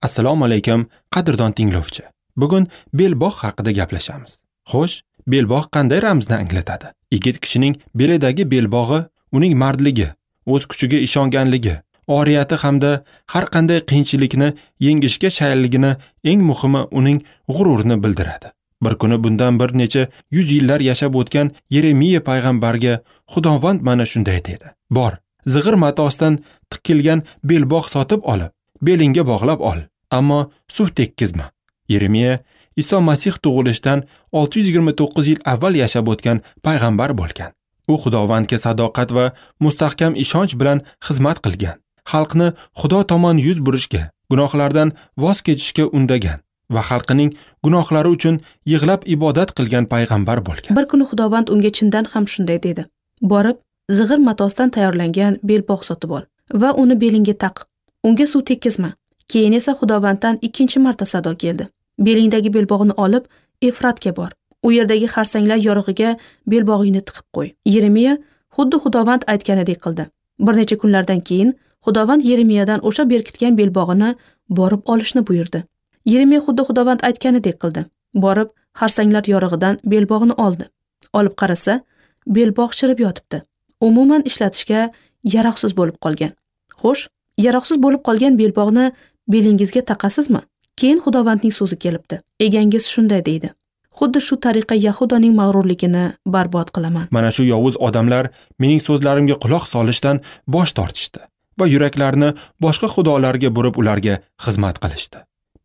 Assalomu alaykum, qadrdon tinglovchi. Bugun belbog' haqida gaplashamiz. Xo'sh, belbog' qanday ramzni anglatadi? Yigit kishining belidagi belbog'i uning mardligi, o'z kuchiga ishonganligi, oriyati hamda har qanday qiyinchilikni yengishga shayilligini, eng muhimi uning g'ururini bildiradi. Bir kuni bundan bir necha yuz yillar yashab o'tgan Yeremiya payg'ambarga Xudovand mana shunday dedi: "Bor, zig'ir matosdan tikilgan belbog' sotib olib, belingga bog'lab ol, ammo suv tekkizma." Yeremiya Iso Masih tug'ilishidan 629 yil avval yashab o'tgan payg'ambar bo'lgan. U Xudovandga sadoqat va mustahkam ishonch bilan xizmat qilgan. Xalqni Xudo tomon yuz burishga, gunohlardan voz kechishga undagan va xalqining gunohlari uchun yig'lab ibodat qilgan payg'ambar bo'lgan. Bir kuni Xudovand unga chindan ham shunday dedi: "Borib, zig'ir matosdan tayyorlangan belbog' sotib ol va uni belingga taq. Unga suv tekkizma." Keyin esa Xudovanddan ikkinchi marta sado keldi: "Belingdagi belbog'ni olib, Efratga bor. U yerdagi xarsanglar yorug'iga belbog'ingni tiqib qo'y." Yeremiya xuddi Xudovand aytganidek qildi. Bir necha kunlardan keyin Xudovand Yeremiyadan o'sha berkitgan belbog'ini borib olishni buyurdi. Yeremiya xuddi Xudovand aytganidek qildi. Borib, xarsanglar yorug'idan belbog'ni oldi. Olib qarasa, belbog' chirib yotibdi. Umuman ishlatishga yaroqsiz bo'lib qolgan. Xo'sh, yaroqsiz bo'lib qolgan belbog'ni belingizga taqasizmi? Keyin Xudovandning so'zi kelibdi. Egangiz shunday deydi: "Xuddi shu tariqa Yahudoning mag'rurligini barbod qilaman." Mana shu yovuz odamlar mening so'zlarimga quloq solishdan bosh tortishdi va yuraklarini boshqa xudolarga burib ularga xizmat qilishdi.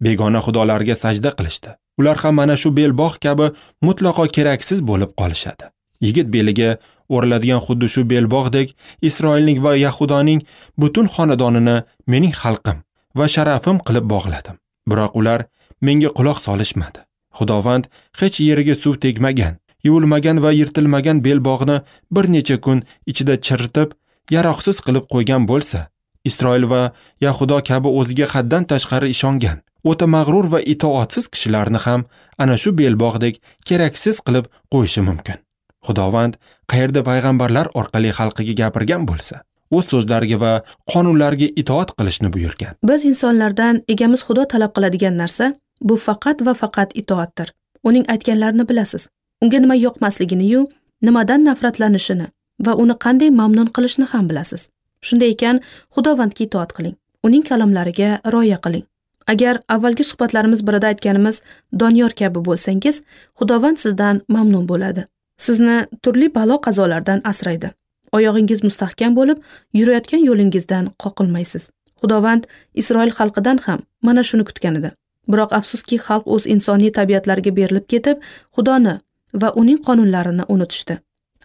Begona xudolarga sajda qilishdi. Ular ham mana shu belbog' kabi mutlaqo keraksiz bo'lib qolishadi. Yigit beliga o'raladigan xuddi shu belbog'dek Isroilning va Yahudoning butun xonadonini mening xalqim va sharafim qilib bog'ladim. Biroq ular menga quloq solishmadi. Xudovand hech yeriga suv tegmagan, yuvilmagan va yirtilmagan belbog'ni bir necha kun ichida chiritib, yaroqsiz qilib qo'ygan bo'lsa, Isroil va Yahudo kabi o'ziga haddan tashqari ishongan, o'ta mag'rur va itoatsiz kishilarni ham ana shu belbog'dek keraksiz qilib qo'yishi mumkin. Xudovand qayerda payg'ambarlar orqali xalqiga gapirgan bo'lsa, o'z so'zlariga va qonunlariga itoat qilishni buyurgan. Biz insonlardan egamiz Xudo talab qiladigan narsa bu faqat va faqat itoatdir. Uning aytganlarini bilasiz. Unga nima yoqmasligini-yu, nimadan nafratlanishini va uni qanday mamnun qilishni ham bilasiz. Shunday ekan, Xudovandga itoat qiling. Uning kalomlariga rioya qiling. Agar avvalgi suhbatlarimiz birida aytganimiz Doniyor kabi bo'lsangiz, Xudovand sizdan mamnun bo'ladi. Sizni turli balo qazolardan asraydi. Oyog'ingiz mustahkam bo'lib, yurayotgan yo'lingizdan qoqilmaysiz. Xudovand Isroil xalqidan ham mana shuni kutgan edi. Biroq afsuski, xalq o'z insoniy tabiatlariga berilib ketib, Xudoni va uning qonunlarini unutishdi.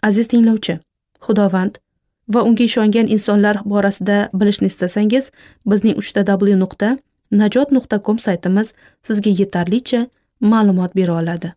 Aziz tinglovchi, Xudovand va unga ishongan insonlar borasida bilishni istasangiz, bizning 3w.najot.com saytimiz sizga yetarlicha ma'lumot bera oladi.